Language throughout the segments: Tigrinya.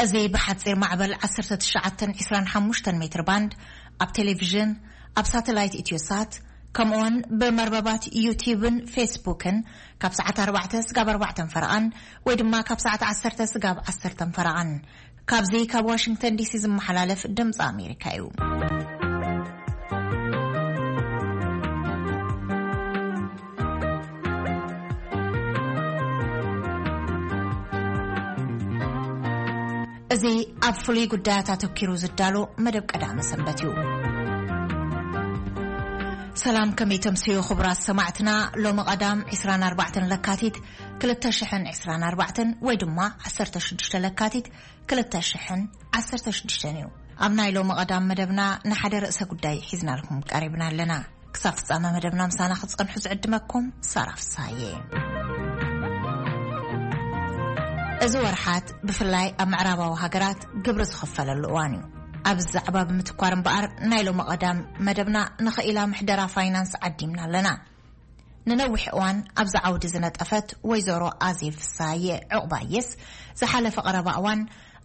እዚ ብሓጺር ማዕበል ዓሰርተ ትሽዓተ ዕስራን ሓሙሽተን ሜትር ባንድ ኣብ ቴሌቪዥን፣ ኣብ ሳተላይት ኢትዮሳት፣ ከምኡውን ብመርበባት ዩቲዩብን ፌስቡክን ካብ ሰዓት ኣርባዕተ ስጋብ ኣርባዕተን ፈረቓን ወይ ድማ ካብ ሰዓት ዓሰርተ ስጋብ ዓሰርተን ፈረቓን። ካብዚ ካብ ዋሽንግተን ዲሲ ዝመሓላለፍ ድምፂ ኣሜሪካ እዩ። እዚ ኣብ ፍሉይ ጉዳያት ኣተኪሩ ዝዳሎ መደብ ቀዳመ ሰንበት እዩ። ሰላም፣ ከመይ ተምስዩ ክቡራት ሰማዕትና? ሎሚ ቀዳም ዕስራን ኣርባዕተን ለካቲት ክልተ ሽሕን ዕስራን ኣርባዕተን ወይ ድማ ዓሰርተ ሽዱሽተ ለካቲት ክልተ ሽሕን ዓሰርተ ሽዱሽተን እዩ። ኣብ ናይ ሎሚ ቀዳም መደብና ንሓደ ርእሰ ጉዳይ ሒዝናልኩም ቀሪብና ኣለና። ክሳብ ፍጻመ መደብና ምሳና ክትጸንሑ ዝዕድመኩም ሳራ ፍሳዬ። እዚ ወርሓት ብፍላይ ኣብ ምዕራባዊ ሃገራት ግብሪ ዝኽፈለሉ እዋን እዩ። ኣብዚ ዛዕባ ብምትኳር እምበኣር ናይ ሎሚ ቀዳም መደብና ንኽኢላ ምሕደራ ፋይናንስ ዓዲምና ኣለና። ንነዊሕ እዋን ኣብዚ ዓውዲ ዝነጠፈት ወይዘሮ ኣዜብ ፍሳዬ ዕቑባየስ ዝሓለፈ ቀረባ እዋን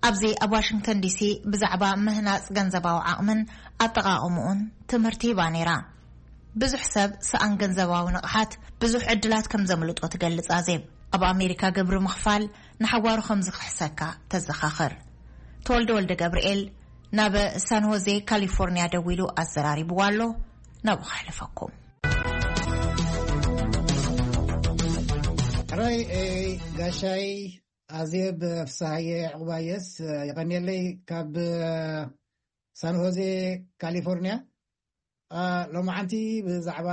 ኣብዚ ኣብ ዋሽንግተን ዲሲ ብዛዕባ ምህናጽ ገንዘባዊ ዓቕምን ኣጠቓቕምኡን ትምህርቲ ሂባ ነይራ። ብዙሕ ሰብ ሰኣን ገንዘባዊ ንቕሓት ብዙሕ ዕድላት ከም ዘምልጦ ትገልጽ ኣዜብ። ኣብ ኣሜሪካ ግብሪ ምኽፋል ንሓዋሩ ከም ዝኽሕሰካ ተዘኻኽር። ተወልደ ወልደ ገብርኤል ናብ ሳን ሆዜ ካሊፎርኒያ ደዊሉ ኣዘራሪብዋ ኣሎ። ናብኡ ከሕልፈኩም። ሕራይ፣ ኤ፣ ጋሻይ ኣዜብ ፍስሃየ ዕቑባየስ፣ የቐንየለይ። ካብ ሳን ሆዜ ካሊፎርኒያ፣ አ፣ ሎማዓንቲ ብዛዕባ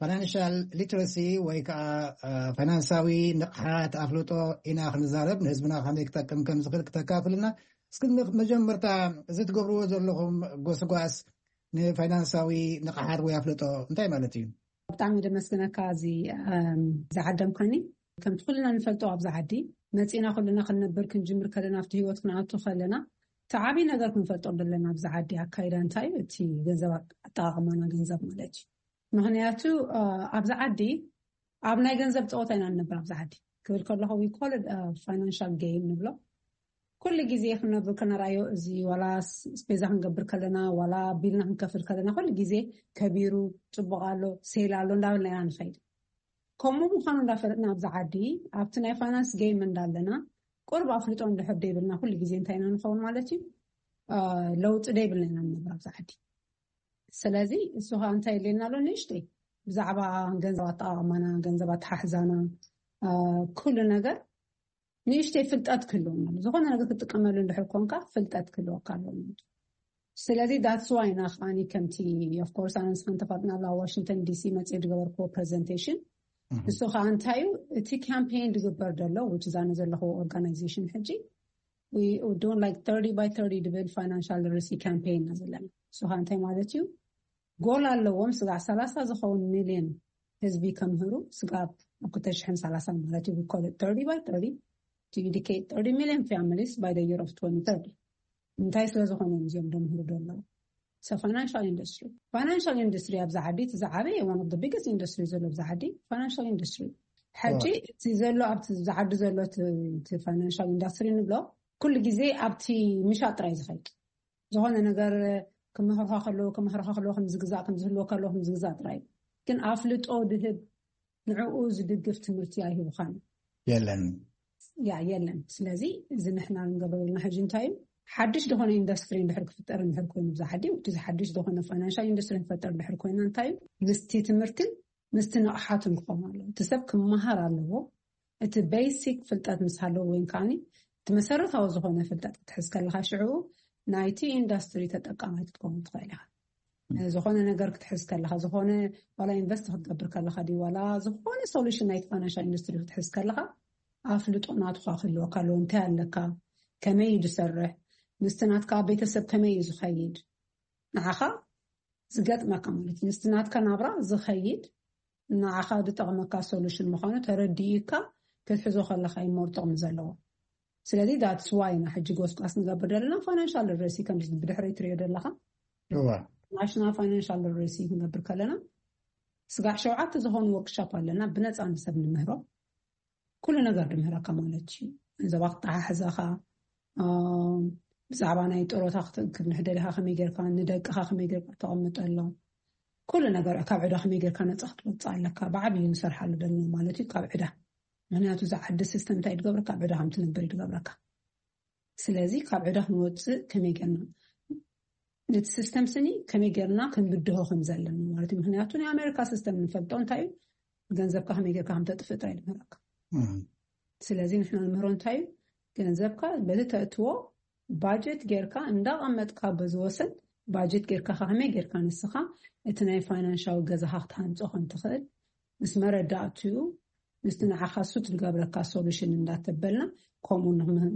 ፋይናንሻል ሊትረሲ ወይ ከዓ፣ አ፣ ፋይናንሳዊ ንቕሓት ኣፍልጦ ኢና ክንዛረብ፣ ንህዝብና ከመይ ክጠቅም ከም ዝኽእል ክተካፍልና። እስኪ ን-፣ መጀመርታ እዚ ትገብርዎ ዘለኹም ጎስጓስ ንፋይናንሳዊ ንቕሓት ወይ ኣፍልጦ እንታይ ማለት እዩ? ብጣዕሚ ደመስግነካ እዚ፣ እም፣ ዝዓደምካኒ። ከምቲ ኩልና ንፈልጦ ኣብዚ ዓዲ መጺና ኩልና ክንነብር ክንጅምር ከለና ኣብቲ ህይወት ክንኣቱ ከለና እቲ ዓብዪ ነገር ክንፈልጦ ዘለና ኣብዚ ዓዲ ኣካይዳ እንታይ እዩ፣ እቲ ገንዘብ ኣጠቓቕማና ገንዘብ ማለት እዩ። ምኽንያቱ፣ እ፣ ኣብዚ ዓዲ ኣብ ናይ ገንዘብ ጸወታ ኢና ንነብር ኣብዚ ዓዲ። ክብል ከለኹ we call it a financial game ንብሎ። ኩሉ ግዜ ክንነብር ከነርኣዮ እዚ ዋላ ስ-፣ ስፔዛ ክንገብር ከለና ዋላ ቢልና ክንከፍል ከለና ኩሉ ግዜ ከቢሩ ጽቡቕ ኣሎ፣ ሴል ኣሎ እንዳበልና ኢና ንኸይድ። ከምኡ ምዃኑ እንዳፈለጥና ኣብዚ ዓዲ ኣብቲ ናይ ፋይናንስ ጌም እንዳለና ቁሩብ ኣፍልጦ እንድሕር ደይብልና ኩሉ ግዜ እንታይ ኢና ንኸውን ማለት እዩ? እ፣ ለውጢ ደይብልና ኢና ንነብር ኣብዚ ዓዲ። ስለዚ እሱ ኸኣ እንታይ የድልየና ኣሎ? ንእሽተይ ብዛዕባ ገንዘብ ኣጠቓቕማና፣ ገንዘብ ኣተሓሕዛና፣ እ፣ ኩሉ ነገር ንእሽተይ ፍልጠት ክህልወና ኣሎ። ዝኾነ ነገር ክትጥቀመሉ እንድሕር ኮንካ ፍልጠት ክህልወካ ኣለዎ ማለት እዩ። ስለዚ that's why ኢና ከዓኒ ከምቲ of course ኣነ ንስኻን ተፋጥና ኣብ ዋሽንግተን ዲሲ መፅእ ዝገበርክዎ ፕሬዘንቴሽን እህ። እሱ ከዓ እንታይ እዩ እቲ ካምፔን ዝግበር ዘሎ which is ኣነ ዘለኹዎ ኦርጋናይዜሽን ሕጂ we doing like thirty by thirty ድብል ፋይናንሻል ሊትረሲ ካምፔን ኢና ዘለና። እሱ ከዓ እንታይ ማለት እዩ? ጎል ኣለዎም ስጋዕ ሰላሳ ዝኸውን ሚልዮን ህዝቢ ከምህሩ ስጋብ ኣብ ክልተ ሽሕን ሰላሳን ማለት እዩ። We call it thirty by thirty to educate thirty million families by the year of twenty thirty። እንታይ ስለ ዝኾነ እዮም እዚኦም ደምህሩ ደለዉ? So financial industry, financial industry ኣብዚ ዓዲ እቲ ዝዓበየ one of the biggest industry ዘሎ ኣብዚ ዓዲ financial industry። ሕጂ እቲ ዘሎ ኣብቲ ኣብዚ ዓዲ ዘሎ እቲ፣ እቲ ፋይናንሻል ኢንዱስትሪ ንብሎ ኩሉ ግዜ ኣብቲ ምሻጥ ጥራይ ዝኸይድ ዝኾነ ነገር ክምህርኻ ከለዎ ክምህርኻ ከለዎ ከም ዝግዛእ ከም ዝህልወካ ኣለዎ ከም ዝግዛእ ጥራይ ግን ኣፍልጦ ድህብ ንዕኡ ዝድግፍ ትምህርቲ ኣይህቡኻን። የለን። ያ የለን። ስለዚ እዚ ንሕና ንገብረልና ሕጂ እንታይ እዩ ሓድሽ ዝኾነ ኢንዱስትሪ እንድሕር ክፍጠር እንድሕር ኮይኑ ብዛ ዓዲ እቲ ሓድሽ ዝኾነ ፋይናንሻል ኢንዱስትሪ ንፈጠር እንድሕር ኮይና እንታይ እዩ ምስቲ ትምህርትን ምስቲ ንቕሓቱን ክኸውን ኣለዎ። እቲ ሰብ ክመሃር ኣለዎ። እቲ ቤሲክ ፍልጠት ምስ ሃለዎ ወይ ከዓኒ እቲ መሰረታዊ ዝኾነ ፍልጠት ክትሕዝ ከለኻ ሽዑ ናይቲ ኢንዱስትሪ ተጠቃማይ ክትከውን ትኽእል ኢኻ። ዝኾነ ነገር ክትሕዝ ከለኻ ዝኾነ ዋላ ኢንቨስት ክትገብር ከለኻ ድዩ ዋላ ዝኾነ ሶሉሽን ናይቲ ፋይናንሻል ኢንዱስትሪ ክትሕዝ ከለኻ ኣፍልጦ ናትኻ ክህልወካ ኣለዎ። እንታይ ኣለካ፣ ከመይ እዩ ዝሰርሕ፣ ምስቲ ናትካ ቤተሰብ ከመይ እዩ ዝኸይድ፣ ንዓኻ ዝገጥመካ ማለት ምስቲ ናትካ ናብራ ዝኸይድ ንዓኻ ዝጠቕመካ ሶሉሽን ምዃኑ ተረዲእካ ክትሕዞ ከለኻ እዩ ሞር ጥቕሚ ዘለዎ። ስለዚ that's why ኢና ሕጂ ጎስቋስ ንገብር ዘለና። ፋይናንሻል ሊትረሲ ከምዚ ብድሕሪ ትሪኦ ዘለኻ እዋ ናሽናል ፋይናንሻል ሊትረሲ ክንገብር ከለና ስጋዕ ሸውዓተ ዝኾኑ ወርክሻፕ ኣለና፣ ብነፃ ንሰብ ንምህሮ። ኩሉ ነገር ንምህረካ ማለት እዩ። ገንዘባ ክተሓሕዘኻ፣ ብዛዕባ ናይ ጥሮታ ክትእክብ ንሕደሊኻ ከመይ ጌርካ፣ ንደቅኻ ከመይ ጌርካ ተቐምጠሎም፣ ኩሉ ነገር ካብ ዕዳ ከመይ ጌርካ ነፃ ክትወፅእ ኣለካ። ብዓብዩ ንሰርሓሉ ዘለና ማለት እዩ ካብ ዕዳ። ምክንያቱ እዚ ዓዲ ሲስተም እንታይ ይድገብረካ? ካብ ዕዳ ከም ትነብር ይድገብረካ። ስለዚ ካብ ዕዳ ክንወፅእ ከመይ ጌርና፣ ነቲ ሲስተም ስኒ ከመይ ጌርና ክንብድሆ ከም ዘለና ማለት እዩ። ምክንያቱ ናይ ኣሜሪካ ሲስተም ንፈልጦ እንታይ እዩ? ገንዘብካ ከመይ ጌርካ ከም ተጥፍእ ጥራይ ይምህረካ። ስለዚ ንሕና ንምህሮ እንታይ እዩ? ገንዘብካ በቲ ተእትዎ ባጀት ጌርካ እንዳቐመጥካ በዚ ወሰን ባጀት ጌርካ ከመይ ጌርካ ንስኻ እቲ ናይ ፋይናንሻዊ ገዛኻ ክትሃንጾ ከም ትኽእል ምስ መረዳእትኡ ምስቲ ንዓኻ ሱት ዝገብረካ ሶሉሽን እንዳተበልና ከምኡ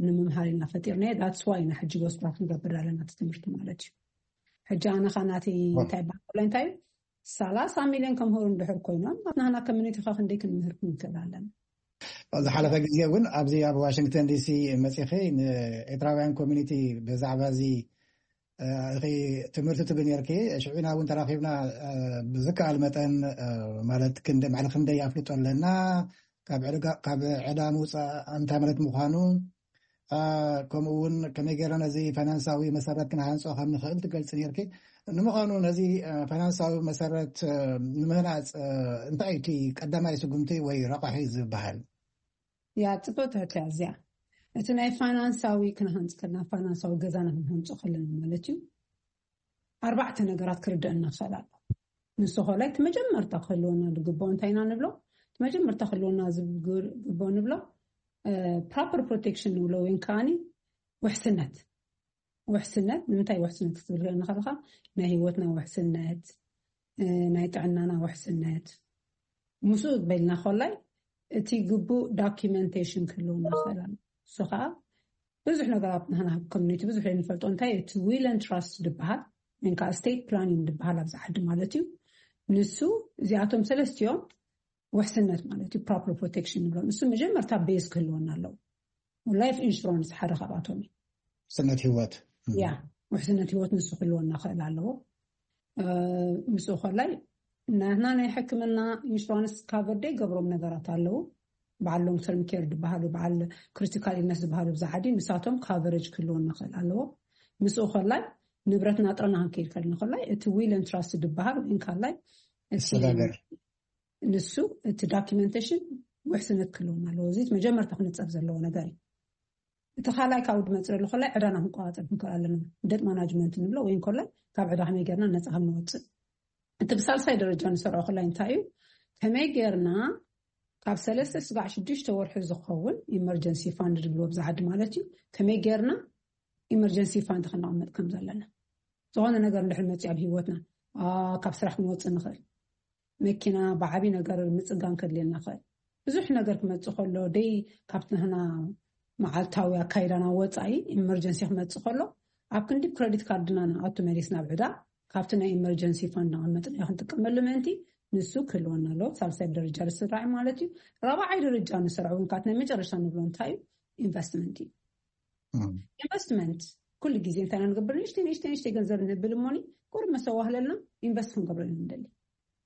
ንምምሃር ኢና ፈጢርናዮ። That's why ኢና ሕጂ ጎስጓስ ንገብር ኣለና እቲ ትምህርቲ ማለት እዩ። ሕጂ ኣነኻ ናተይ እንታይ በሃላ እንታይ እዩ ሰላሳ ሚሊዮን ከምህሩ እንድሕር ኮይኖም ናትና ኮሚኒቲኻ ክንደይ ክንምህር ክንክእል ኣለና። ዝሓለፈ ግዜ እውን ኣብዚ ኣብ ዋሽንግተን ዲሲ መፂኺ ንኤርትራውያን ኮሚኒቲ ብዛዕባ እዚ ትምህርቲ ትብ ነርኪ። ሽዑና እውን ተራኺብና ብዝከኣል መጠን ማለት ክንደ ማዕለ ክንደይ ኣፍልጦ ኣለና ካብ ዕዳ ምውፃእ እንታይ ማለት ምዃኑ ከምኡ እውን ከመይ ገይረ ነዚ ፋይናንሳዊ መሰረት ክንሃንፆ ከም ንኽእል ትገልፂ ነርኪ። ንምዃኑ ነዚ ፋይናንሳዊ መሰረት ንምህናፅ እንታይ እቲ ቀዳማይ ስጉምቲ ወይ ረቋሒ ዝበሃል? ያ ፅቡቅ ትሕትያ እዚኣ እቲ ናይ ፋይናንሳዊ ክንሃንፅ ከለና ፋይናንሳዊ ገዛና ክንሃንፆ ከለና ማለት እዩ ኣርባዕተ ነገራት ክርደአና ክኽእል ኣሎ። ንሱ ኮላይ እቲ መጀመርታ ክህልወና ዝግብኦ እንታይ ኢና ንብሎ? እቲ መጀመርታ ክህልወና ዝግብኦ ንብሎ ፕሮፐር ፕሮቴክሽን ንብሎ ወይ ከዓኒ ውሕስነት። ውሕስነት ንምንታይ ውሕስነት ክትብል ከለኻ ናይ ህይወትና ውሕስነት፣ ናይ ጥዕናና ውሕስነት። ምስኡ በልና ኮላይ እቲ ግቡእ ዶኪመንቴሽን ክህልወና ክኽእል ኣሎ። እሱ ከዓ ብዙሕ ነገራት ንሕና ኮሚኒቲ ብዙሕ ንፈልጦ እንታይ እቲ ዊል ን ትራስት ዝበሃል ወይ ከዓ ስቴት ፕላኒንግ ዝበሃል ኣብዚ ዓዲ ማለት እዩ። ንሱ እዚኣቶም ሰለስቲኦም ውሕስነት ማለት እዩ። ፕሮፐር ፕሮቴክሽን ንብሎ ንሱ መጀመርታ ቤዝ ክህልወና ኣለዎ። ላይፍ ኢንሹራንስ ሓደ ካብኣቶም እዩ። ውሕስነት ህይወት ያ ውሕስነት ህይወት ንሱ ክህልወና ክእል ኣለዎ። ምስኡ ኮላይ ናትና ናይ ሕክምና ኢንሹራንስ ካቨር ደይ ገብሮም ነገራት ኣለዉ። በዓል ሎንግ ተርም ኬር ዝበሃሉ በዓል ክሪቲካል ኢልነስ ዝበሃሉ ብዛ ዓዲ ንሳቶም ካቨሬጅ ክህልወና ክእል ኣለዎ። ምስኡ ኮላይ ንብረትና ጥረና ክንከይድ ከልና ኮላይ እቲ ዊል ን ትራስት ዝበሃል ወይ እንካላይ እቲ መሰጋገር ንሱ እቲ ዶኪመንቴሽን ውሕስነት ክህልወና ኣለዎ። እዚ መጀመርታ ክንፀብ ዘለዎ ነገር እዩ። እቲ ካልኣይ ካብኡ ድመፅእ ዘሎ ኮላይ ዕዳና ክንቆፃፀር ክንክእል ኣለና። ደት ማናጅመንት ንብሎ ወይ እንኮላይ ካብ ዕዳ ከመይ ጌርና ነፃ ከም ንወፅእ። እቲ ብሳልሳይ ደረጃ ንሰርዖ ኮላይ እንታይ እዩ? ከመይ ጌርና ካብ ሰለስተ ስጋዕ ሽዱሽተ ወርሒ ዝኸውን ኢመርጀንሲ ፋንድ ዝብልዎ ብዛ ዓዲ ማለት እዩ። ከመይ ጌርና ኢመርጀንሲ ፋንድ ክነቐምጥ ከም ዘለና ዝኾነ ነገር እንድሕር መፅእ ኣብ ህይወትና ካብ ስራሕ ክንወፅእ ንኽእል። መኪና ብዓብይ ነገር ምፅጋን ከድልየና ይኽእል። ብዙሕ ነገር ክመፅእ ከሎ ደይ ካብቲ ንሕና መዓልታዊ ኣካይዳና ወፃኢ ኢመርጀንሲ ክመፅእ ከሎ ኣብ ክንዲ ክረዲት ካርድና ንኣቱ መሊስ ናብ ዕዳ ካብቲ ናይ ኢመርጀንሲ ፋንድ ነቐመጥና ክንጥቀመሉ ምእንቲ ንሱ ክህልወና ኣለዎ። ሳልሳይ ደረጃ ዝስራዕ ማለት እዩ። ራብዓይ ደረጃ ንሰርዖ እውን ካብቲ ናይ መጨረሻ ንብሎ እንታይ እዩ? ኢንቨስትመንት እዩ። ኢንቨስትመንት ኩሉ ግዜ እንታይ ኢና ንገብር? ንእሽተይ ንእሽተይ ንእሽተይ ገንዘብ ንብል እሞኒ ቁሩብ መሰዋህለልና ኢንቨስት ክንገብረሉ ንደሊ።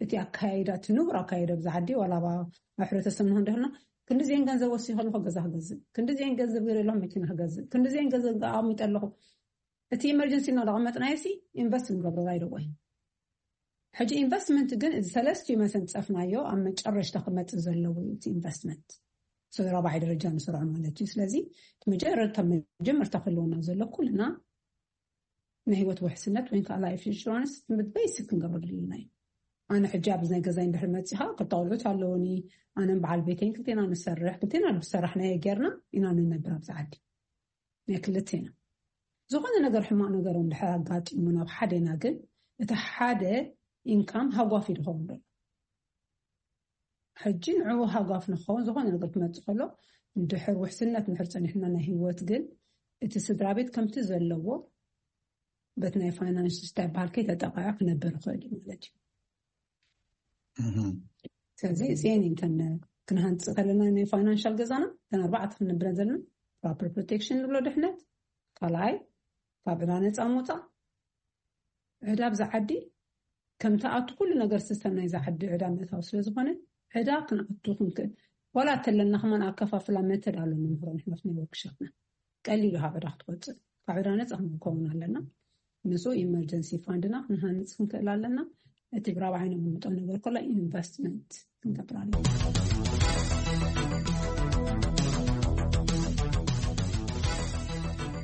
እቲ ኣካያይዳ እቲ ንቡር ኣካያይዳ ብዛ ዓዲ ዋላ ኣብ ሕብረተሰብ ንሆን ደህልና ክንዲዚአን ገንዘብ ወሲ ከለኹ ገዛ ክገዝእ ክንዲዚአን ገንዘብ ገይረ ኣለኹ መኪና ክገዝእ ክንዲዚአን ገንዘብ ኣቐሚጠ ኣለኹ። እቲ ኢመርጀንሲ እናተቐመጥናዮ ሲ ኢንቨስት ንገብረላ ይደወይ። ሕጂ ኢንቨስትመንት ግን እዚ ሰለስቲኡ መሰን ዝፀፍናዮ ኣብ መጨረሽታ ክመፅእ ዘለዎ እዩ እቲ ኢንቨስትመንት። ስለዚ ራብዓይ ደረጃ ንሰርዖ ማለት እዩ። ስለዚ መጀመርታ ክህልወና ዘሎ ኩልና ናይ ህይወት ውሕስነት ወይ ከዓ ላይፍ ኢንሹራንስ ቤሲክ ክንገብሮ ዘለና እዩ። ኣነ ሕጂ ኣብዚ ናይ ገዛይ እንድሕር መፂኻ ክልተ ቆልዑት ኣለውኒ። ኣነን በዓል ቤተይን ክልቴና ንሰርሕ ክልቴና ብሰራሕናዮ ጌርና ኢና ንነብር ኣብዚ ዓዲ ናይ ክልቴና። ዝኾነ ነገር ሕማቕ ነገር እንድሕር ኣጋጢሙ ናብ ሓደና ግን እቲ ሓደ ኢንካም ሃጓፍ እዩ ዝኸውን ዘሎ። ሕጂ ንዕኡ ሃጓፍ ንኸውን ዝኾነ ነገር ክመፅእ ከሎ እንድሕር ውሕስነት እንድሕር ፀኒሕና ናይ ህይወት ግን እቲ ስድራ ቤት ከምቲ ዘለዎ በቲ ናይ ፋይናንስ ስታይ በሃል ከይተጠቃዐ ክነብር ይኽእል እዩ ማለት እዩ። ስለዚ እዚአን እንተን ክንሃንፅ ከለና ናይ ፋይናንሻል ገዛና እተን ኣርባዕተ ክንነብረን ዘለና proper protection ንብሎ ድሕነት፣ ካልኣይ ካብ ዕዳ ነፃ ምውፃእ። ዕዳ ኣብዛ ዓዲ ከምቲ ኣቱ ኩሉ ነገር ሲስተም ናይዛ ዓዲ ዕዳ ምእታው ስለ ዝኾነ፣ ዕዳ ክንኣቱ ክንክእል ዋላ እተለና ከማን ኣከፋፍላ መተድ ኣሎ ንምክሮ ንሕና ናይ ወርክሾፕና ቀሊሉ ካብ ዕዳ ክትወፅእ፣ ካብ ዕዳ ነፃ ክንከውን ኣለና። ምስኡ ኢመርጀንሲ ፋንድና ክንሃንፅ ክንክእል ኣለና። እቲ ብራብዓይ ነምምጦ ነገር ኮላ ኢንቨስትመንት ክንገብር ኣለና።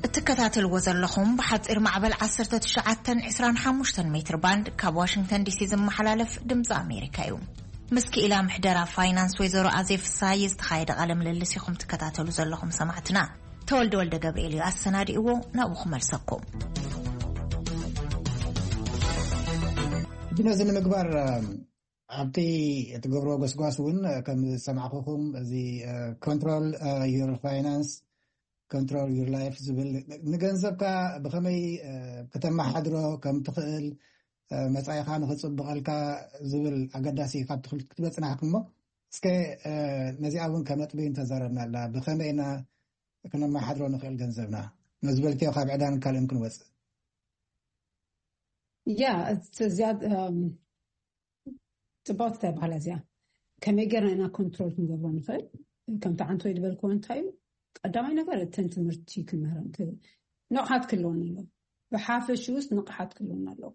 እትከታተልዎ ዘለኹም ብሓፂር ማዕበል ዓሰርተ ትሽዓተን ዕስራን ሓሙሽተን ሜትር ባንድ ካብ ዋሽንግተን ዲሲ ዝመሓላለፍ ድምፂ ኣሜሪካ እዩ። ምስ ክኢላ ምሕደራ ፋይናንስ ወይዘሮ ኣዜ ፍስሃየ ዝተኻየደ ቃለ ምልልስ ኢኹም ትከታተሉ ዘለኹም ሰማዕትና። ተወልደ ወልደ ገብርኤል እዩ ኣሰናዲእዎ፣ ናብኡ ክመልሰኩም። ነዚ ንምግባር ኣብቲ እትገብርዎ ጎስጓስ እውን ከም ዝሰማዕኩኹም እዚ control your finance, control your life ዝብል ንገንዘብካ ብኸመይ ከተመሓድሮ ከም ትኽእል፣ መጻኢኻ ንኽጽብቐልካ ዝብል ኣገዳሲ ካብ ትኽልት ክትበጽናሕኩሞ። እስከ ነዚኣ እውን ከነጥቢ እንተዛረብና ኣላ፣ ብኸመይ ኢና ክነመሓድሮ ንኽእል ገንዘብና? ነዚ በልክዮ ካብ ዕዳን ካልእን ክንወጽእ። ያ እዚኣ ጽባውቲ እንታይ በሃላ እዚኣ፣ ከመይ ጌርና ኢና ኮንትሮል ክንገብሮ ንኽእል? ከምቲ ዓንተወይ ዝበልክዎ እንታይ እዩ፣ ቀዳማይ ነገር እተን ትምህርቲ ክንምህረን ንቕሓት ክህልወን ኣለዎ። ብሓፈሽኡስ ንቕሓት ክህልወን ኣለዎ።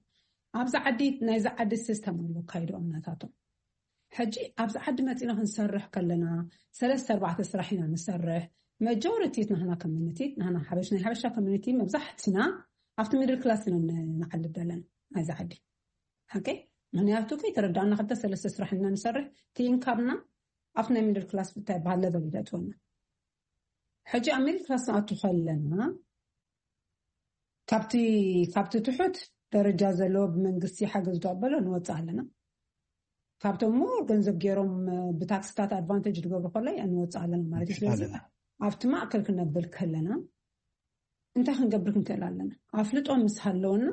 ኣብዛ ዓዲ ናይዛ ዓዲ ሲስተም ኣሎ ኣካይድኦም ናታቶም። ሕጂ ኣብዚ ዓዲ መፂና ክንሰርሕ ከለና ሰለስተ ኣርባዕተ ስራሕ ኢና ንሰርሕ። መጆሪቲ ናህና ኮሚኒቲ፣ ናህና ሓበሽ ናይ ሓበሻ ኮሚኒቲ መብዛሕትና ኣብቲ ሚድል ክላስ ኢና ንዓልብ ዘለና ናይዛ ዓዲ። ኦኬ፣ ምክንያቱ ከይተረዳእና ክልተ ሰለስተ ስራሕ ኢና ንሰርሕ፣ እቲ ኢንካምና ኣብቲ ናይ ሚድል ክላስ እንታይ በሃል ለቨል ይደጥወና። ሕጂ ኣብ ሚድል ክላስ ንኣቱ ከለና ካብቲ ካብቲ ትሑት ደረጃ ዘለዎ ብመንግስቲ ሓገዝ ዝቕበሎ ንወፅእ ኣለና። ካብቶም ሞር ገንዘብ ገይሮም ብታክስታት ኣድቫንቴጅ ዝገብሩ ከሎ ንወፅእ ኣለና ማለት እዩ። ስለዚ ኣብቲ ማእከል ክነብል ከለና እንታይ ክንገብር ክንክእል ኣለና? ኣፍልጦ ምስ ሃለወና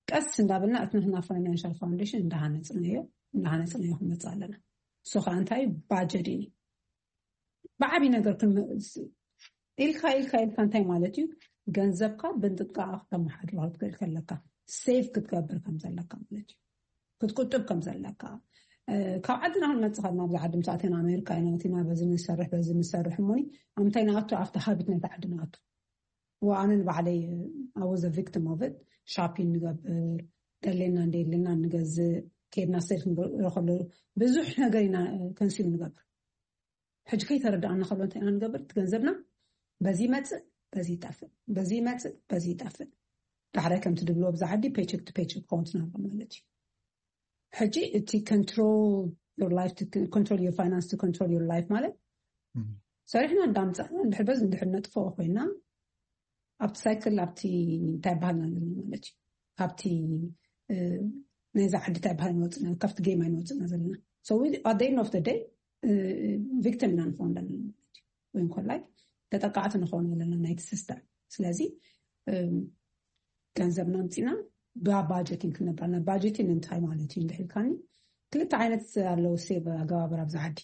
ቀስ እንዳበልና እቲ ንሕና ፋይናንሻል ፋውንዴሽን እንዳሃነፅናዮ እንዳሃነፅናዮ ክንመፅእ ኣለና። እሱ ከዓ እንታይ ባጀት እዩ። ብዓብይ ነገር ኢልካ ኢልካ ኢልካ እንታይ ማለት እዩ? ገንዘብካ ብንጥንቃቕ ክተመሓድሮ ክትክእል ከለካ፣ ሴቭ ክትገብር ከም ዘለካ ማለት እዩ። ክትቁጥብ ከም ዘለካ፣ ካብ ዓድና ክንመፅእ ከለና ኣብዚ ዓዲ ምስ ኣተና ኣሜሪካ ኢና ኣቲና በዚ ንሰርሕ በዚ ንሰርሕ እሞኒ ኣምታይ ንኣቱ ኣብቲ ሃቢት ናይቲ ዓዲ ንኣቱ። ወኣነ ንባዕለይ ኣወዘ ቪክቲም ኦፍ ሻፒን ንገብር፣ ደሌና እንደየድልና ንገዝእ፣ ከድና ሰልፍ ንረኸሉ ብዙሕ ነገር ኢና ከንሲል ንገብር። ሕጂ ከይተረዳእና ከሎ እንታይ ኢና ንገብር? እቲ ገንዘብና በዚ ይመፅእ በዚ ይጠፍእ፣ በዚ ይመፅእ በዚ ይጠፍእ። ዳሕራይ ከምቲ ድብልዎ ብዛ ዓዲ ፔቸክ ቱ ፔቸክ ክኸውን ትናብሮ ማለት እዩ። ሕጂ እቲ control your life to control your finance to control your life ማለት ሰሪሕና እንዳምፃእና እንድሕር በዚ እንድሕር ነጥፍኦ ኮይና ኣብቲ ሳይክል ኣብቲ እንታይ ባህልና ኣለና ማለት እዩ። ካብቲ ናይዛ ዓዲ እንታይ ባህል ንወፅና ካብቲ ጌም ኣይንወፅና ዘለና። So at the end of the day ቪክቲም ኢና ንኸውን ዘለና ማለት እዩ። ወይ እንኮላይ ተጠቃዕቲ ንኸውን ዘለና ናይቲ ሲስተም። ስለዚ ገንዘብና ኣምፂና ብባጀቲንግ ክንነብራና። ባጀቲንግ እንታይ ማለት እዩ እንድሕልካኒ ክልተ ዓይነት ኣለዉ ሴቭ ኣገባብር ኣብዚ ዓዲ።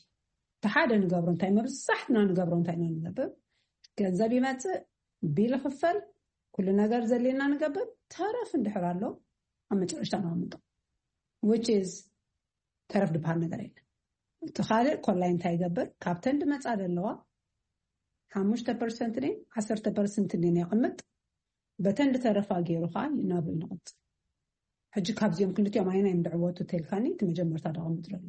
እቲ ሓደ ንገብሮ እንታይ መብዛሕትና ንገብሮ እንታይ ኢና ንገብር? ገንዘብ ይመፅእ፣ ቢል ይኽፈል፣ ኩሉ ነገር ዘድልየና ንገብር። ተረፍ እንድሕር ኣሎ ኣብ መጨረሽታ ነቐምጦ። Which is ተረፍ ድበሃል ነገር የለን። እቲ ካልእ ኮላይ እንታይ ይገብር? ካብተን ድመፃ ዘለዋ ሓሙሽተ ፐርሰንት ነ ዓሰርተ ፐርሰንት ነ የቕምጥ። በተን ድተረፋ ገይሩ ከዓ ናብኡ ይንቕፅ። ሕጂ ካብዚኦም ክልቲኦም ኣይና እዮም ድዕወቱ ተልካኒ እቲ መጀመርታ ደቐምጥ ዘሎ።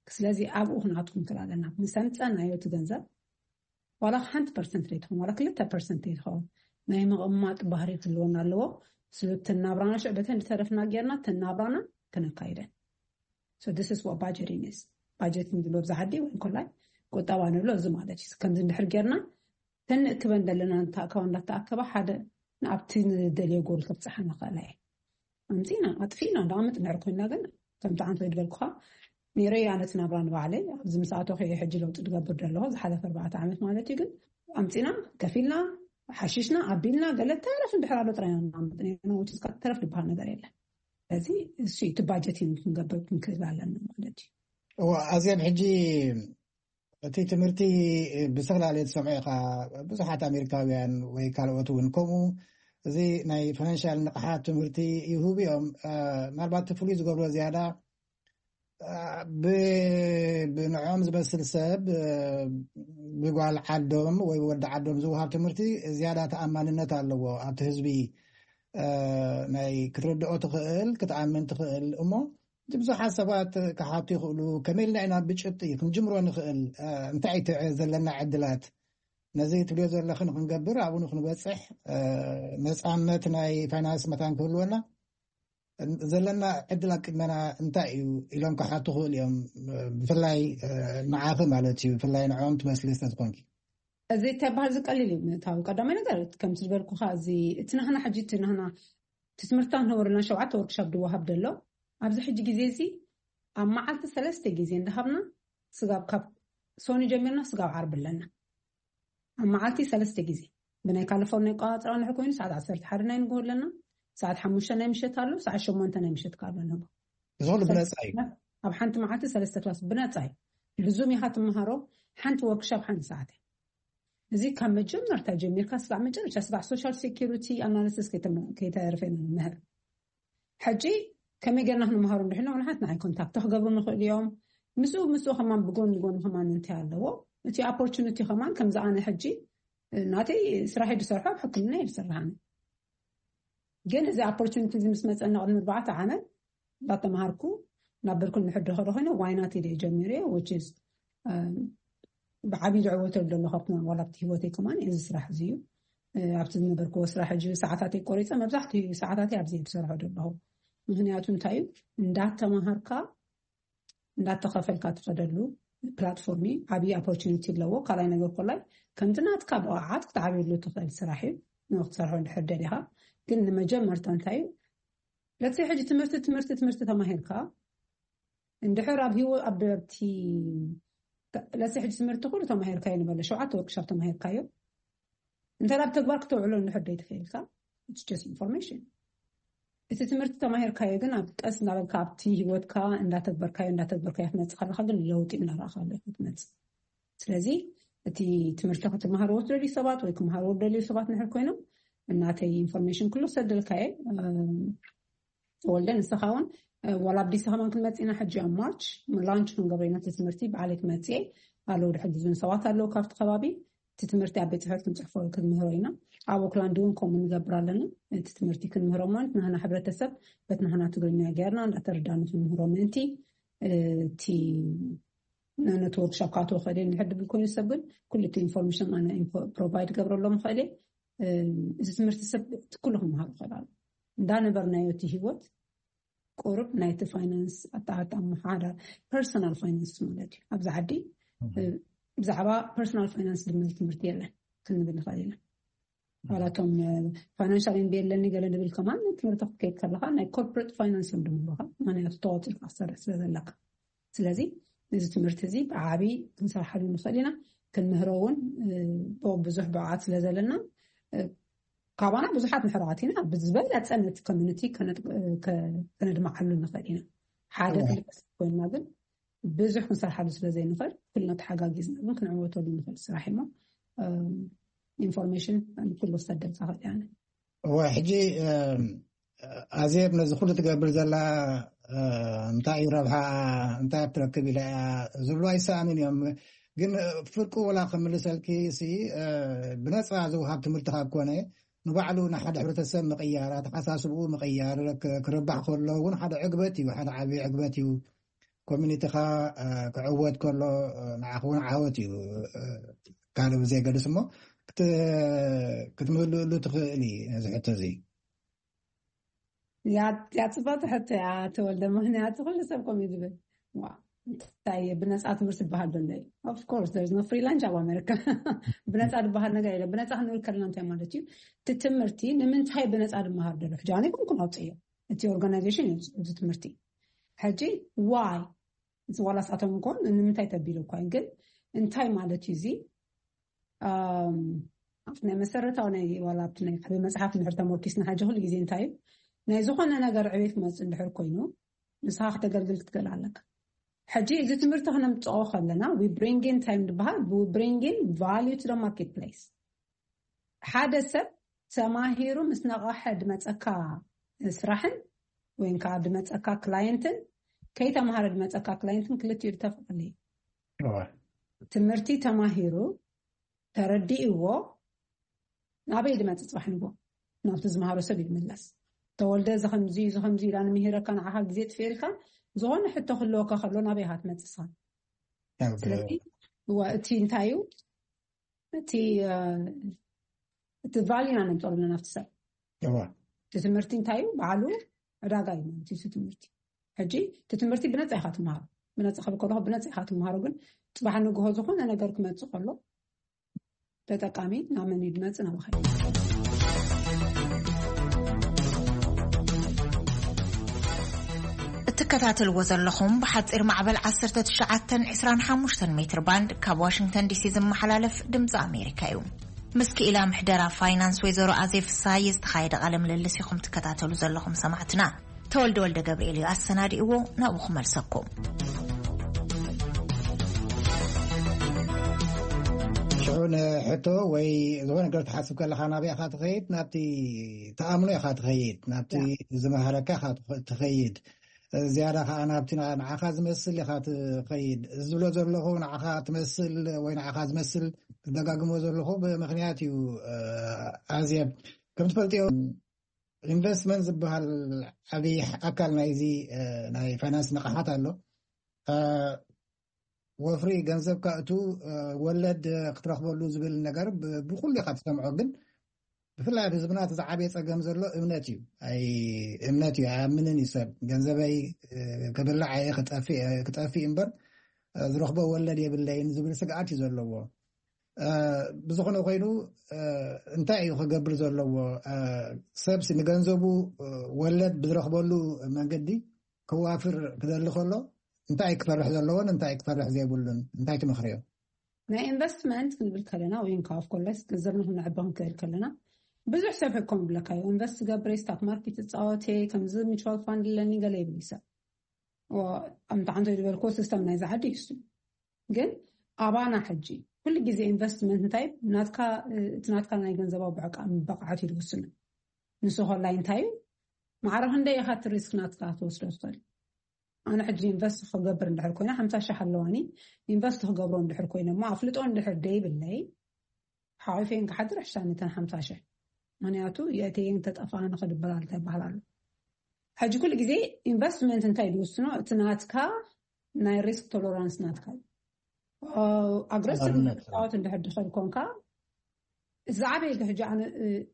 ስለዚ ኣብኡ ክንኣትኩም ክል ኣለና። ምስ ኣምፀናዮ እቲ ገንዘብ ዋላ ሓንቲ ፐርሰንት ዘይትኸውን ዋላ ክልተ ፐርሰንት ዘይትኸውን ናይ ምቕማጥ ባህሪ ክህልወና ኣለዎ። ስለቲ ናብራና ሽዕ በተን ዝተረፍና ጌርና ተናብራና ክነካይደን። So this is what budgeting is. ባጀቲንግ ዝብሎ ብዛ ዓዲ ወይ እንኮላይ ቁጠባ ንብሎ እዚ ማለት እዩ። ከምዚ እንድሕር ጌርና ተንእክበን ዘለና እንተኣከባ እንዳተኣከባ ሓደ ንኣብቲ ንደልዮ ጎል ከብፅሓ ንኽእላ እየ። ኣምፂና ኣጥፊእና ዳኣ ምጥንዕር ኮይና ግን ከምቲ ዓንተ ዝበልኩኻ ነይረ እያ ነቲ ናብራ ንባዕለይ ኣብዚ ምስ ኣተኹ እየ ሕጂ ለውጢ ዝገብር ዘለኹ ዝሓለፈ ኣርባዕተ ዓመት ማለት እዩ። ግን ኣምፂና ከፊልና ሓሺሽና ኣቢልና ገለ ተረፍ እንድሕር ኣሎ ጥራይ ኢና ንኣምጥ ነርና። ውጭ ተረፍ ዝበሃል ነገር የለን። ስለዚ እሱ እቲ ባጀቲንግ ክንገብር ክንክእል ኣለና ማለት እዩ። እዋ ኣዜብ ሕጂ እቲ ትምህርቲ ብዝተፈላለየ ትሰምዖ ኢኻ። ብዙሓት ኣሜሪካውያን ወይ ካልኦት እውን ከምኡ እዚ ናይ ፋይናንሻል ንቕሓት ትምህርቲ ይህቡ እዮም። ምናልባት እቲ ፍሉይ ዝገብሮ ዝያዳ ብንዕኦም ዝመስል ሰብ ብጓል ዓዶም ወይ ወዲ ዓዶም ዝወሃብ ትምህርቲ ዝያዳ ተኣማንነት ኣለዎ ኣብቲ ህዝቢ። ናይ ክትርድኦ ትኽእል ክትኣምን ትኽእል እሞ ብዙሓት ሰባት ክሓቱ ይኽእሉ። ከመይ ኢልና ኢና ብጭብጢ ክንጅምሮ ንኽእል? እንታይ እቲ ዘለና ዕድላት ነዚ ትብልዮ ዘለኽን ክንገብር ኣብኡ ንክንበፅሕ ነፃነት ናይ ፋይናንስ መታን ክህልወና ዘለና ዕድል ኣብ ቅድመና እንታይ እዩ ኢሎም ክሓቱ ክኽእሉ እዮም። ብፍላይ ንዓኺ ማለት እዩ፣ ብፍላይ ንዕኦም ትመስሊ ስለዝኾንኪ። እዚ ተባህል ዝቀልል እዩ ምእታዊ። ቀዳማይ ነገር ከምቲ ዝበልኩኻ እዚ እቲ ናህና ሕጂ እቲ ናህና እቲ ትምህርትታት ነበሩና ሸውዓተ ወርክሻፕ ዝወሃብ ዘሎ ኣብዚ ሕጂ ግዜ እዚ ኣብ መዓልቲ ሰለስተ ግዜ እንዳሃብና ስጋብ ካብ ሶኒ ጀሚርና ስጋብ ዓርቢ ኣለና። ኣብ መዓልቲ ሰለስተ ግዜ ብናይ ካሊፎርኒያ ኣቆፃፅራ ንሕ ኮይኑ ሰዓት ዓሰርተ ሓደ ናይ ንግሆ ኣለና፣ ሰዓት ሓሙሽተ ናይ ምሸት ኣሎ፣ ሰዓት ሸሞንተ ናይ ምሸት ካሎ ንህቦ። እዚ ኩሉ ብነፃ እዩ። ኣብ ሓንቲ መዓልቲ ሰለስተ ክላስ ብነፃ እዩ። ብዙም ኢኻ ትመሃሮ። ሓንቲ ወርክሻፕ ሓንቲ ሰዓት እያ። እዚ ካብ መጀመርታ ጀሚርካ ስጋዕ መጨረሻ ስጋዕ ሶሻል ሴኪሪቲ ኣናሊሲስ ከይተርፈና ንምህር። ሕጂ ከመይ ገርና ክንመሃሩ እንድሕና ንሓት ንዓይ ኮንታክት ክገብሩ ንኽእል እዮም። ምስኡ ምስኡ ከማን ብጎን ጎን ከማን እንታይ ኣለዎ እቲ ኦፖርቹኒቲ ከማን ከምዚ ኣነ ሕጂ ናተይ ስራሕ ዝሰርሖ ኣብ ሕክምና እየ ዝሰርሕ ኣነ። ግን እዚ ኦፖርቹኒቲ እዚ ምስ መፀና ቅድሚ ኣርባዕተ ዓመት እንዳተምሃርኩ ናብ ብርኩን ንሕዶ ከደ ኮይነ ዋይናት ኢለ ጀሚረ which is ብዓብዩ ዝዕወተሉ ዘሎ ካብቲ ዋላ ኣብቲ ህይወተይ ከማን እዚ ስራሕ እዚ እዩ። ኣብቲ ዝነበርክዎ ስራሕ ሕጂ ሰዓታተይ ቆሪፀ መብዛሕትኡ ሰዓታተይ ኣብዚ ዝሰርሖ ዘለኹ። ምክንያቱ እንታይ እዩ እንዳተምሃርካ እንዳተኸፈልካ ትኸደሉ ፕላትፎርም እዩ። ዓብዪ ኦፖርቹኒቲ ኣለዎ። ካልኣይ ነገር ኮላይ ከምቲ ናትካ ብቕዓት ክትዓብየሉ ትኽእል ስራሕ እዩ። ንክትሰርሖ እንድሕር ደሊኻ ግን ንመጀመርታ እንታይ እዩ ለትሰይ ሕጂ ትምህርቲ ትምህርቲ ትምህርቲ ተማሂርካ እንድሕር ኣብ ህይወ ኣብቲ ለትሰይ ሕጂ ትምህርቲ ኩሉ ተማሂርካዮ ንበለ ሸውዓተ ወርክሻፕ ተማሂርካዮ እንተ ኣብ ተግባር ክተውዕሎ እንድሕር ደይትኽእልካ ኢንፎርሜሽን። እቲ ትምህርቲ ተማሂርካዮ ግን ኣብ ቀስ እናበልካ ኣብቲ ህይወትካ እንዳተግበርካዮ እንዳተግበርካዮ ክትመፅእ ከለካ ግን ለውጢ እናረኣካ ክትመፅእ። ስለዚ እቲ ትምህርቲ ክትመሃርዎ ትደልዩ ሰባት ወይ ክመሃርዎ ትደልዩ ሰባት ንሕር ኮይኖም እናተይ ኢንፎርሜሽን ኩሉ ሰደልካየ ተወልደ ንስኻ እውን ዋላ ኣብዲስ ከማን ክንመፅእ ኢና ሕጂ ኣብ ማርች ላንች ክንገብሮ ኢና እቲ ትምህርቲ ብዓለይ ክመፅእ ኣለዉ ድሕግዙን ሰባት ኣለዉ ካብቲ ከባቢ እቲ ትምህርቲ ኣብ ቤት ፅሕፈት ክንፅሕፎ ክንምህሮ ኢና። ኣብ ኦክላንድ እውን ከምኡ ንገብር ኣለና። እቲ ትምህርቲ ክንምህሮ ማለት ናህና ሕብረተሰብ በት ናህና ትግርኛ ገይርና እንዳተረዳኑ ክንምህሮ ምእንቲ እቲ ነቲ ወርክሾፕ ካተወ ክእል እንድሕር ድብል ኮይኑ ሰብ ግን ኩሉ እቲ ኢንፎርሜሽን ኣነ ፕሮቫይድ ገብረሎም ክእል። እዚ ትምህርቲ ሰብ እቲ ኩሉ ክመሃሩ ክእል ኣሎ እንዳነበርናዮ እቲ ህይወት ቁሩብ ናይቲ ፋይናንስ ኣተኣጣምሓ ዳ ፐርሰናል ፋይናንስ ማለት እዩ ኣብዚ ዓዲ ብዛዕባ ፐርሰናል ፋይናንስ ዝብል ትምህርቲ የለን ክንብል ንኽእል ኢና። ዋላቶም ፋይናንሻል ኤምቢኤ ኣለኒ ገለ ንብል ከማን ትምህርቲ ክትከይድ ከለካ ናይ ኮርፖሬት ፋይናንስ እዮም ድምሉካ ምክንያቱ ተቆፂርካ ክሰርሕ ስለ ዘለካ። ስለዚ እዚ ትምህርቲ እዚ ብዓብይ ክንሰርሓሉ ንኽእል ኢና። ክንምህሮ እውን ብዙሕ ብቕዓት ስለ ዘለና ካባና ብዙሓት ምሕራቓት ኢና። ብዝበለፀ ነቲ ኮሚኒቲ ከነድምዓሉ ንኽእል ኢና። ሓደ ክልተ ኮይንና ግን ብዙሕ ክንሰርሓሉ ስለ ዘይንኽእል ኩልና ተሓጋጊዝና ግን ክንዕወተሉ ንኽእል ስራሕ እሞ ኢንፎርሜሽን ንኩሉ ክሰደልካ ክእል እያ። እወ ሕጂ ኣዜብ ነዚ ኩሉ ትገብር ዘላ እንታይ እዩ ረብሓ እንታይ ትረክብ ኢላ እያ ዝብሉ ኣይሰኣኑን እዮም። ግን ፍርቁ ወላ ክምልሰልኪ ሲ ብነፃ ዝውሃብ ትምህርቲ ካብ ኮነ ንባዕሉ ንሓደ ሕብረተሰብ ምቕያር ኣተሓሳስብኡ ምቕያር ክርባሕ ከሎ እውን ሓደ ዕግበት እዩ ሓደ ዓብዪ ዕግበት እዩ። ኮሚኒቲኻ ክዕወት ከሎ ንዓኽ እውን ዓወት እዩ። ካልእ ብዘይገድስ እሞ ክትምህልእሉ ትኽእል እዩ ነዚ ሕቶ እዚ። ያ ጽብቕቲ ሕቶ እያ ተወልደ ምክንያቱ ኩሉ ሰብ ከምኡ እዩ ዝብል እንታይ ብነፃ ትምህርቲ ዝበሃል ዘሎ እዩ። Of course there is no free lunch ኣብ ኣሜሪካ። ብነፃ ዝበሃል ነገር የለ። ብነፃ ክንብል ከለና እንታይ ማለት እዩ? እቲ ትምህርቲ ንምንታይ ብነፃ ድመሃር ደሎ ሕጂ ኣነ ይኮንኩም ኣውፅእዮ እቲ ኦርጋናይዜሽን እዩ እዚ ትምህርቲ ሕጂ ዋይ እዚ ዋላ ስኣቶም እንኮን ንምንታይ ተቢሉ እኳ ግን እንታይ ማለት እዩ እዚ ኣብቲ ናይ መሰረታዊ ናይ ዋላ ኣብቲ ናይ ዓብይ መፅሓፍ እንድሕር ተመርኪስና ሕጂ ኩሉ ግዜ እንታይ እዩ ናይ ዝኾነ ነገር ዕቤት ክመፅእ እንድሕር ኮይኑ ንስኻ ክተገልግል ክትክእል ኣለካ። ሕጂ እዚ ትምህርቲ ክነምፅኦ ከለና we bring in time ዝበሃል we bring in value to the market place። ሓደ ሰብ ተማሂሩ ምስ ነቐሐ ድመፀካ ስራሕን ወይ ከዓ ድመፀካ ክላየንትን ከይተማሃረ ድመፀካ ክላየንትን ክልቲኡ ዝተፈላለዩ። ትምህርቲ ተማሂሩ ተረዲእዎ ናበይ ድመፅእ? ፅባሕ ንጎ ናብቲ ዝመሃሮ ሰብ ይምለስ። ተወልደ እዚ ከምዚ እዚ ከምዚ ኢላ ንምሂረካ ንዓኻ ግዜ ጥፍኤልካ ዝኾነ ሕቶ ክህልወካ ከሎ ናበይ ኢኻ ትመፅእ ንስኻ? ስለዚ እዋ እቲ እንታይ እዩ እቲ እቲ ቫልዩ ኢና ነምፀሉ ናብቲ ሰብ። እቲ ትምህርቲ እንታይ እዩ? ባዕሉ ዕዳጋ እዩ ማለት እዩ እቲ ትምህርቲ። ሕጂ እቲ ትምህርቲ ብነፃ ኢኻ ትመሃሮ። ብነፃ ክብል ከለኹ ብነፃ ኢኻ ትመሃሮ፣ ግን ፅባሕ ንግሆ ዝኾነ ነገር ክመፅእ ከሎ ተጠቃሚ ናብ መን እዩ ድመፅእ? ናባኻ እዩ። እትከታተልዎ ዘለኹም ብሓፂር ማዕበል ዓሰርተ ትሽዓተ ዕስራን ሓሙሽተን ሜትር ባንድ ካብ ዋሽንግተን ዲሲ ዝመሓላለፍ ድምፂ ኣሜሪካ እዩ። ምስ ክኢላ ምሕደራ ፋይናንስ ወይዘሮ ኣዜብ ፍስሃየ ዝተኻየደ ቃለ ምልልስ ኢኹም ትከታተሉ ዘለኹም ሰማዕትና። ተወልደ ወልደ ገብርኤል እዩ ኣሰናዲእዎ፣ ናብኡ ክመልሰኩም። ሽዑ ንሕቶ ወይ ዝኾነ ነገር ትሓስብ ከለኻ ናበይ ኢኻ ትኸይድ? ናብቲ ተኣምኖ ኢኻ ትኸይድ፣ ናብቲ ዝመሃረካ ኢኻ ትኸይድ። ዝያዳ ከዓ ናብቲ ንዓኻ ዝመስል ኢኻ ትኸይድ። እዚ ዝብሎ ዘለኹ ንዓኻ ትመስል ወይ ንዓኻ ዝመስል ዝደጋግሞ ዘለኹ ብምኽንያት እዩ። ኣዜብ፣ ከም ትፈልጥዮ ኢንቨስትመንት ዝበሃል ዓብዪ ኣካል ናይዚ ናይ ፋይናንስ ንቕሓት ኣሎ። ወፍሪ ገንዘብ ካእቱ ወለድ ክትረኽበሉ ዝብል ነገር ብኩሉ ኢኻ ትሰምዖ፣ ግን ብፍላይ ኣብ ህዝብና እቲ ዝዓበየ ፀገም ዘሎ እምነት እዩ። እምነት እዩ፣ ኣያምንን እዩ ሰብ። ገንዘበይ ክብላዕ እየ፣ ክጠፍእ እምበር ዝረኽቦ ወለድ የብለይን ዝብል ስግኣት እዩ ዘለዎ። ብዝኾነ ኮይኑ እንታይ እዩ ክገብር ዘለዎ? ሰብሲ ንገንዘቡ ወለድ ብዝረኽበሉ መንገዲ ክዋፍር ክደሊ ከሎ እንታይ ክፈርሕ ዘለዎን እንታይ ክፈርሕ ዘይብሉን እንታይ ትመኽርዮ? ናይ ኢንቨስትመንት ክንብል ከለና ወይ ከዓ ኦፍኮርስ ገንዘብና ክነዕቢ ክንክእል ከለና ብዙሕ ሰብ ሕኮም ይብለካ እዩ። ኢንቨስት ገብረ፣ ስታክ ማርኬት እፃወቴ፣ ከምዚ ሚቹዋል ፋንድ ኣለኒ ገለ ይብል ሰብ። ኣምታ ሓንቶ ዝበልኮ ሲስተም ናይዚ ዓዲ ይሱ ግን ኣባና ሕጂ ኩሉ ግዜ ኢንቨስትመንት እንታይ ናትካ እቲ ናትካ ናይ ገንዘባዊ ብዕቃ ብቕዓት እዩ ዝውስኑ። ንሱ ከላይ እንታይ እዩ ማዕረ ክንደይ ኢኻ እቲ ሪስክ ናትካ ትወስዶ ትኽእል? ኣነ ሕጂ ኢንቨስት ክገብር እንድሕር ኮይነ ሓምሳ ሺሕ ኣለዋኒ ኢንቨስት ክገብሮ እንድሕር ኮይነ እሞ ኣፍልጦ እንድሕር ደይብለይ ሓቂፈን ክሓድር ሕሻ ነተን ሓምሳ ሺሕ ምክንያቱ የእተየን ተጠፋ ንክድበላል እንታይ ይበሃል ኣሎ። ሕጂ ኩሉ ግዜ ኢንቨስትመንት እንታይ ዝውስኖ እቲ ናትካ ናይ ሪስክ ቶለራንስ ናትካ እዩ። ኣግረሲቭ ፃወት እንድሕር ድኸድ ኮንካ ዝዓበየ ሕጂ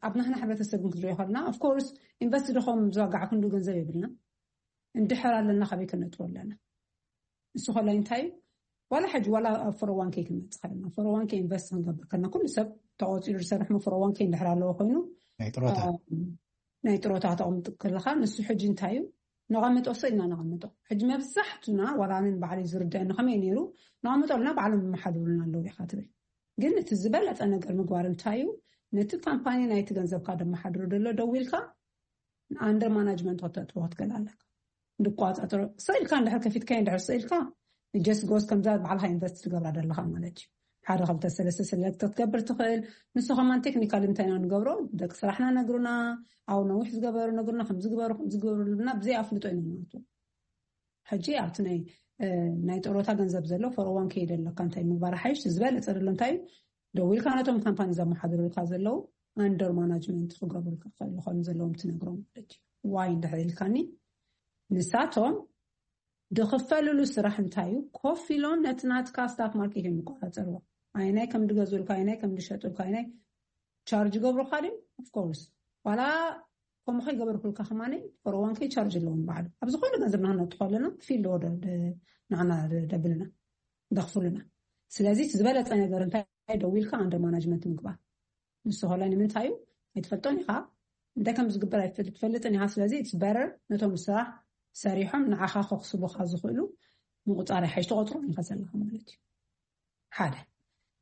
ኣብ ናህና ሕብረተሰብ ግን ክትሪኦ ከለና ኦፍኮርስ ኢንቨስት ድኸም ዝዋጋዕ ክንዱ ገንዘብ የብልና እንድሕር ኣለና ካበይ ከነጥሮ ኣለና። ንሱ ከላይ እንታይ እዩ ዋላ ሕጂ ዋላ ኣብ ፎር ኦ ዋን ኬ ክንመፅእ ከለና ፎር ኦ ዋን ኬ ኢንቨስት ክንገብር ከለና ኩሉ ሰብ ተቆፂሩ ዝሰርሕ ሞ ፎር ኦ ዋን ኬ እንድሕር ኣለዎ ኮይኑ ናይ ጥሮታ ናይ ጥሮታ ተቐምጥ ከለኻ ንሱ ሕጂ እንታይ እዩ ነቐምጦ ሰ ኢልና ነቐምጦ። ሕጂ መብዛሕቱና ዋላ ኣነ ንባዕለይ ዝርድአኒ ከመይ ነይሩ ነቐምጦ ኣለና ባዕሎም ይመሓድሩልና ኣለዉ ኢኻ ትብል። ግን እቲ ዝበለፀ ነገር ምግባር እንታይ እዩ ነቲ ካምፓኒ ናይቲ ገንዘብካ ደመሓድሮ ደሎ ደዊልካ ኣንደር ማናጅመንት ከተጥዎ ክትክእል ኣለካ። ድቋፃፀሮ ስእልካ እንድሕር ከፊትካ እንድሕር ስእልካ ንጀስት ጎስ ከምዛ ባዕልካ ኢንቨስት ትገብራ ደለካ ማለት እዩ። ሓደ ክልተ ሰለስተ ሰለክት ክትገብር ትኽእል። ንሱ ከማን ቴክኒካል እንታይ ኢና ንገብሮ ደቂ ስራሕና ነግሩና ኣብ ነዊሕ ዝገበሩ ነግሩና ከምዝግበሩ ከምዝግበሩ ልብና ብዘይ ኣፍልጦ ኢና ንወቱ። ሕጂ ኣብቲ ናይ ናይ ጥሮታ ገንዘብ ዘሎ ፎር ኦ ዋን ኬ ደለካ እንታይ ምግባር ሓይሽ ዝበለፀ ደሎ እንታይ ደዊልካ ነቶም ካምፓኒ ዘመሓድሩልካ ዘለዉ ኣንደር ማናጅመንት ክገብሩልካ ክኽእሉ ከም ዘለዎም ትነግሮም ማለት እዩ። ዋይ እንድሕር ኢልካኒ ንሳቶም ድኽፈልሉ ስራሕ እንታይ እዩ ኮፍ ኢሎም ነቲ ናትካ ስታክ ማርኬት እዮም ይቆፃፀርዎ። ኣይናይ ከም ድገዝኡልካ ኣይናይ ከም ድሸጡልካ ኣይናይ ቻርጅ ገብሩካ ድም ኦፍኮርስ ዋላ ከምኡ ከይገበርኩልካ ከማነ ፎር ኦ ዋን ኬ ቻርጅ ኣለዎም ባዕሉ ኣብ ዝኾነ ገንዘብ ንክነጥፎ ኣለና ክፊ ኣለዎ ንዓና ደብልና ደኽፍሉና። ስለዚ ዝበለፀ ነገር እንታይ ደዊልካ ኣንደር ማናጅመንት ምግባር ንሱ ከላይ ንምንታይ እዩ ኣይትፈልጦን ኢኻ እንታይ ከም ዝግበር ኣይትፈልጥን ኢኻ። ስለዚ it's better ነቶም ስራሕ ሰሪሖም ንዓኻ ከኽስቡኻ ዝኽእሉ ምቁፃር ሓይሽ ተቆፅሮም ኢኻ ዘለኻ ማለት እዩ። ሓደ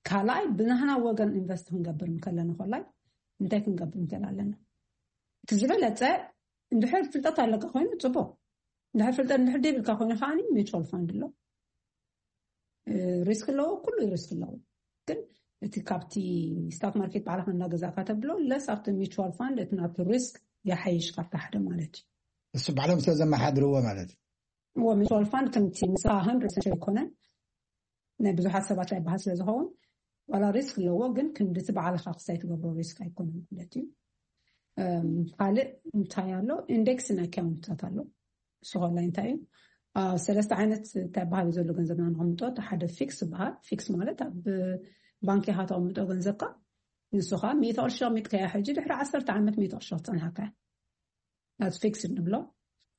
ካልኣይ ብናህና ወገን ኢንቨስት ክንገብር እንከለና ኮላይ እንታይ ክንገብር እንክእል ኣለና? እቲ ዝበለፀ እንድሕር ፍልጠት ኣለካ ኮይኑ ፅቡቅ፣ እንድሕር ፍልጠት እንድሕር ደይብልካ ኮይኑ ከዓ ሚቹዋል ፋንድ ኣሎ። ሪስክ ኣለዎ፣ ኩሉ ሪስክ ኣለዎ። ግን እቲ ካብቲ ስታክ ማርኬት ባዕልኻ እንዳገዛእካ ተብሎ ለስ ኣብቲ ሚቹዋል ፋንድ እቲ ናብቲ ሪስክ ይሓይሽ ካብቲ ሓደ ማለት እዩ። እሱ ባዕሎም ስለ ዘመሓድርዎ ማለት እዩ። እዎ፣ ሚቹዋል ፋንድ ከምቲ ንስኻ ሃንድረድ ፐርሰንት ኣይኮነን፣ ናይ ብዙሓት ሰባት ኣይበሃል ስለ ዝኸውን ዋላ ሪስክ ኣለዎ፣ ግን ክንድቲ ባዕልኻ ክሳይ ትገብሮ ሪስክ ኣይኮነን ማለት እዩ። ካልእ እንታይ ኣሎ? ኢንዴክስን ኣካውንታት ኣሎ። እሱ ከላይ እንታይ እዩ? ሰለስተ ዓይነት እንታይ ባህሪ ዘሎ ገንዘብና ንቕምጦ። እቲ ሓደ ፊክስ ዝበሃል። ፊክስ ማለት ኣብ ባንክ ኢኻ ተቐምጦ ገንዘብካ፣ ንሱ ከዓ ሚእቲ ቅርሺ ኣቐሚጥካያ ሕጂ ድሕሪ ዓሰርተ ዓመት ሚእቲ ቅርሺ ክፀንሓካ እያ። ናት ፊክስ ንብሎ።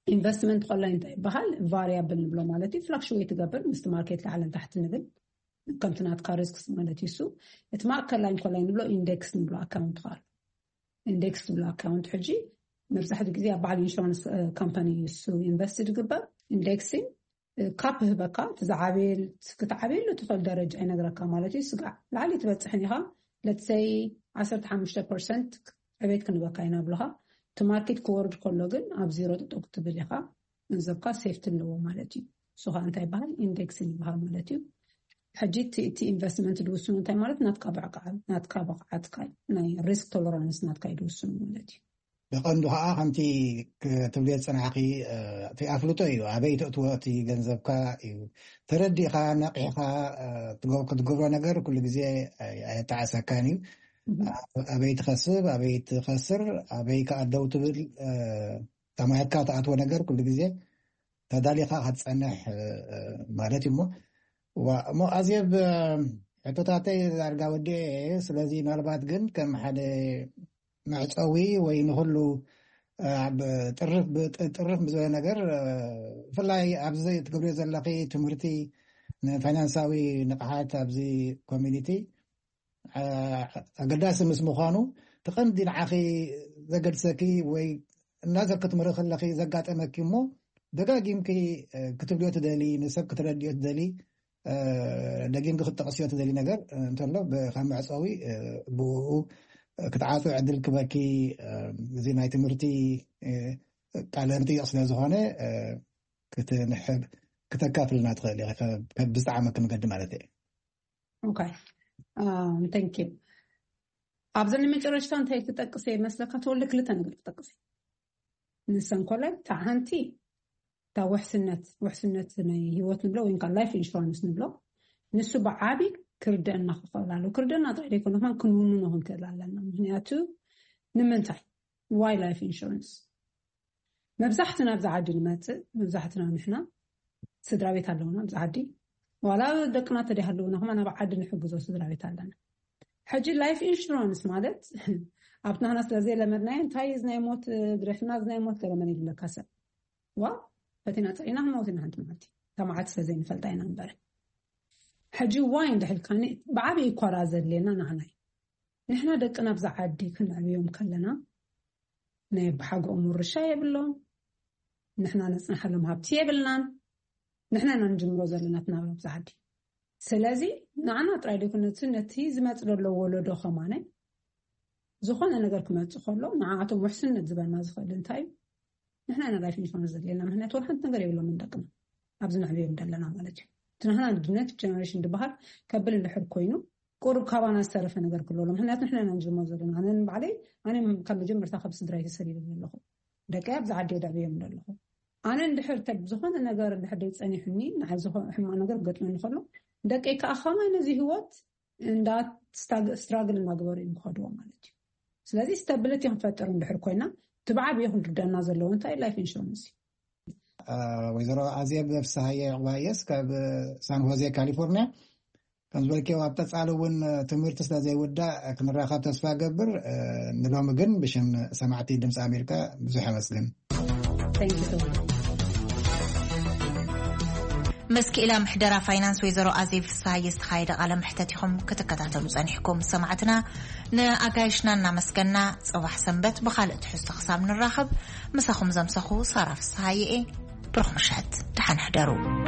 ኢንቨስትመንት ከላይ እንታይ ይበሃል? ቫሪያብል ንብሎ ማለት እዩ። ፍላክሽዌት ትገብር ምስቲ ማርኬት ላዕልን ታሕቲ ንብል፣ ከምቲ ናትካ ሪስክስ ማለት እዩ። እሱ እቲ ማእከላይ ከላይ ንብሎ ኢንዴክስ ንብሎ ኣካውንት ከዓ ኣሎ። ኢንዴክስ ዝብሎ ኣካውንት ሕጂ መብዛሕትኡ ግዜ ኣብ በዓል ኢንሹራንስ ካምፓኒ እሱ ኢንቨስት ዝግበር። ኢንዴክሲን ካፕ ህበካ፣ እቲ ዝዓበየ ክትዓብየሉ ትኽእል ደረጃ ይነግረካ ማለት እዩ። ስጋዕ ላዕሊ ትበፅሕን ኢኻ። ለትሰይ ዓሰርተ ሓሙሽተ ፐርሰንት ዕቤት ክንበካ ኢና ብለኻ። እቲ ማርኬት ክወርድ ከሎ ግን ኣብ ዜሮ ጠጠው ክትብል ኢኻ። ገንዘብካ ሴፍቲ ኣለዎ ማለት እዩ። እሱ ከዓ እንታይ ይበሃል? ኢንዴክሲን ይበሃል ማለት እዩ። ሕጂ እቲ ኢንቨስትመንት ዝውስኑ እንታይ ማለት ናትካ ብዕቃ ናትካ ብቕዓትካ ናይ ሪስክ ቶለራንስ ናትካ እዩ ዝውስኑ ማለት እዩ። ብቐንዱ ከዓ ከምቲ ክትብልዮ ዝፅናሕኪ እቲ ኣፍልጦ እዩ። ኣበይ ተእትዎ እቲ ገንዘብካ እዩ። ተረዲእካ ነቂሕካ ክትገብሮ ነገር ኩሉ ግዜ ኣየተዓሰካን እዩ። ኣበይ ትኸስብ ኣበይ ትኸስር ኣበይ ከኣደው ትብል ተማሂርካ ትኣትዎ ነገር ኩሉ ግዜ ተዳሊኻ ክትፀንሕ ማለት እዩ። እሞ እሞ ኣዝየብ ሕቶታተይ ዳርጋ ወዲኤ። ስለዚ ምናልባት ግን ከም ሓደ መዕፀዊ ወይ ንኩሉ ኣብ ጥርፍ ጥርፍ ብዝበለ ነገር ብፍላይ ኣብዚ ትገብርዮ ዘለኺ ትምህርቲ ንፋይናንሳዊ ንቕሓት ኣብዚ ኮሚኒቲ ኣገዳሲ ምስ ምዃኑ፣ እቲ ቀንዲ ንዓኺ ዘገድሰኪ ወይ እናዘር ክትምህሪ ከለኺ ዘጋጠመኪ እሞ ደጋጊምኪ ክትብልዮ ትደሊ፣ ንሰብ ክትረድዮ ትደሊ፣ ደጊምኪ ክትጠቕስዮ ትደሊ ነገር እንተሎ ከም መዕፀዊ ብኡ ክትዓፁ ዕድል ክበኪ። እዚ ናይ ትምህርቲ ቃለ ምጥያቕ ስለ ዝኾነ ክትንሕብ ክተካፍልና ትኽእል ኢኻ ብዝጠዓመኪ መገዲ ማለት እየ። ኦኬ፣ thank you። ኣብዘን መጨረሽታ እንታይ ክጠቅስ እየ መስለካ? ተወልደ ክልተ ነገር ክጠቅስ እየ። ንሰን ኮላይ እታ ሓንቲ እታ ውሕስነት ውሕስነት ናይ ህይወት ንብሎ ወይ ከዓ ላይፍ ኢንሹራንስ ንብሎ፣ ንሱ ብዓቢ ክርደአና ክኽእል ኣለዎ። ክርደአና ጥራይ ዘይኮነ ከማን ክንውንኖ ክንክእል ኣለና። ምክንያቱ ንምንታይ ዋይ ላይፍ ኢንሹራንስ መብዛሕትና ኣብዚ ዓዲ ንመፅእ መብዛሕትና ንሕና ስድራ ቤት ኣለውና ኣብዚ ዓዲ። ዋላ ደቅና ተደይ ኣለውና ከማ ናብ ዓዲ ንሕግዞ ስድራ ቤት ኣለና። ሕጂ ላይፍ ኢንሹራንስ ማለት ኣብቲ ናህና ስለ ዘይለመድናዮ እንታይ እዚ ናይ ሞት ግደፍና እዚ ናይ ሞት ገለ መን ይብለካ ሰብ ዋ ፈቲና ፀኢና ክንመውት ኢና ሓንቲ መዓልቲ። ተማዓት ስለ ዘይንፈልጣ ኢና እምበር ሕጂ ዋይ እንድሕልካኒ ብዓብዪ ኮራ ዘድልየና ንዓናይ ንሕና ደቅና ኣብዚ ዓዲ ክንዕብዮም ከለና ናይ ብሓጎኦም ውርሻ የብሎም። ንሕና ነፅንሓሎም ሃብቲ የብልናን። ንሕና ኢና ንጅምሮ ዘለና ትናብራ ኣብዚ ዓዲ። ስለዚ ንዓና ጥራይ ደይኮነቲ ነቲ ዝመፅ ዘሎ ወለዶ ከማነ ዝኾነ ነገር ክመፅእ ከሎ ንዓኣቶም ውሕስነት ዝበልና ዝኽእል እንታይ እዩ? ንሕና ኢና ላይፍ ኢንሹራንስ ዘድልየና። ምክንያቱ ወላ ሓንቲ ነገር የብሎም ደቅና ኣብዚ ንዕብዮም ዘለና ማለት እዩ። እቲ ንሕና ንድነት ጀነሬሽን ዝበሃል ከብል እንድሕር ኮይኑ ቁሩብ ካባና ዝተረፈ ነገር ክሎ ኣሎ። ምክንያቱ ንሕና ኢና ንጅምሮ ዘለና። ኣነ ንባዕለይ ኣነ ካብ መጀመርታ ካብ ስድራይ ተሰዲደ ዘለኹ ደቀይ ኣብዚ ዓዲ ደዕብዮም ዘለኹ። ኣነ እንድሕር ተ ዝኾነ ነገር እንድሕር ደይ ፀኒሑኒ ንዓይ ዝኾነ ሕማቕ ነገር ክገጥመኒ ከሎ ደቀይ ከዓ ከማይ ነዚ ህይወት እንዳ ስትራግል እናገበሩ እዮም ክኸድዎ ማለት እዩ። ስለዚ ስታብሊቲ ክንፈጥር እንድሕር ኮይና እቲ ብዓብዮ ክንርደና ዘለዎ እንታይ ላይፍ ኢንሹራንስ እዩ። ወይዘሮ ኣዜብ ፍስሃየ ዕባየስ ካብ ሳን ሆዜ ካሊፎርኒያ። ከም ዝበልክዮ ኣብ ቀፃሊ እውን ትምህርቲ ስለ ዘይውዳእ ክንራኸብ ተስፋ ገብር። ንሎሚ ግን ብሽም ሰማዕቲ ድምፂ ኣሜሪካ ብዙሕ ኣመስግን። Thank you so much። ምስ ክኢላ ምሕደራ ፋይናንስ ወይዘሮ ኣዜብ ፍስሃየ ዝተኻየደ ቃለ መሕተት ኢኹም ክትከታተሉ ጸኒሕኩም። ሰማዕትና ንኣጋይሽና እናመስገና ጽባሕ ሰንበት ብኻልእ ትሕዝቶ ክሳብ ንራኸብ ምሳኹም ዘምሰኹ ሳራ ፍስሃየ እየ። ብሩኽ ምሸት፣ ደሓን ሕደሩ።